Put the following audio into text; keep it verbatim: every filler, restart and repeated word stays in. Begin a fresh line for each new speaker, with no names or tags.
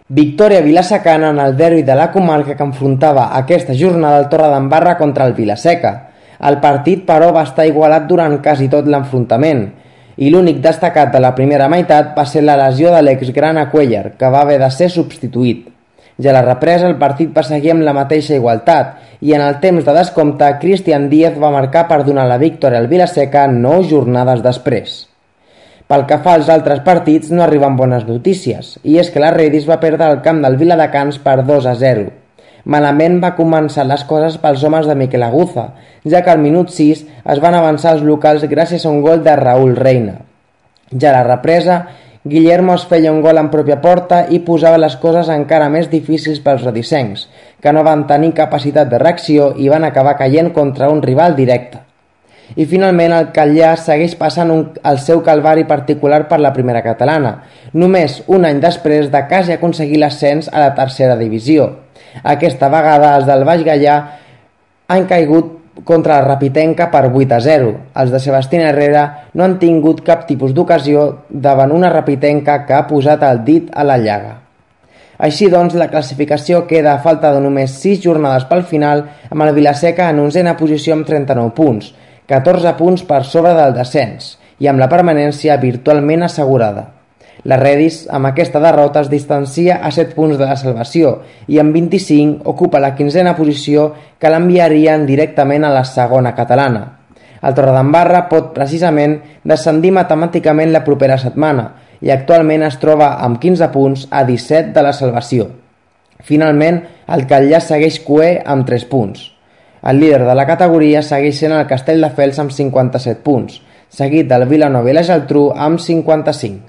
Victòria vilasecana en el derbi de la comarca que enfrontava aquesta jornada el Torredembarra contra el Vilaseca. El partit, però, va estar igualat durant quasi tot l'enfrontament i l'únic destacat de la primera meitat va ser la lesió de l'exgrana Cuellar, que va haver de ser substituït. Ja a la represa el partit va seguir amb la mateixa igualtat i en el temps de descompte Cristian Díaz va marcar per donar la victòria al Vilaseca nou jornades després. Pel que fa als altres partits no arriben bones notícies, i és que la Redis va perdre el camp del Viladecans per dos a zero. Malament va començar les coses pels homes de Miquel Aguza, ja que al minut sis es van avançar els locals gràcies a un gol de Raúl Reina. Ja a la represa, Guillermo es feia un gol en pròpia porta i posava les coses encara més difícils pels redisencs, que no van tenir capacitat de reacció i van acabar caient contra un rival directe. I finalment el Catllà segueix passant un, el seu calvari particular per la primera catalana, només un any després de quasi aconseguir l'ascens a la tercera divisió. Aquesta vegada els del Baix Gaià han caigut contra la Rapitenca per vuit a zero. Els de Sebastián Herrera no han tingut cap tipus d'ocasió davant una Rapitenca que ha posat el dit a la llaga. Així doncs, la classificació queda a falta de només sis jornades pel final, amb el Vilaseca en onzena posició amb trenta-nou punts, catorze punts per sobre del descens i amb la permanència virtualment assegurada. La Redis, amb aquesta derrota, es distancia a set punts de la salvació i amb vint-i-cinc ocupa la quinzena posició que l'enviarien directament a la segona catalana. El Torredembarra pot precisament descendir matemàticament la propera setmana i actualment es troba amb quinze punts a disset de la salvació. Finalment, el Catllà segueix cuer amb tres punts. El líder de la categoria segueix sent el Castelldefels amb cinquanta-set punts, seguit del Vilanova i la Geltrú amb cinquanta-cinc.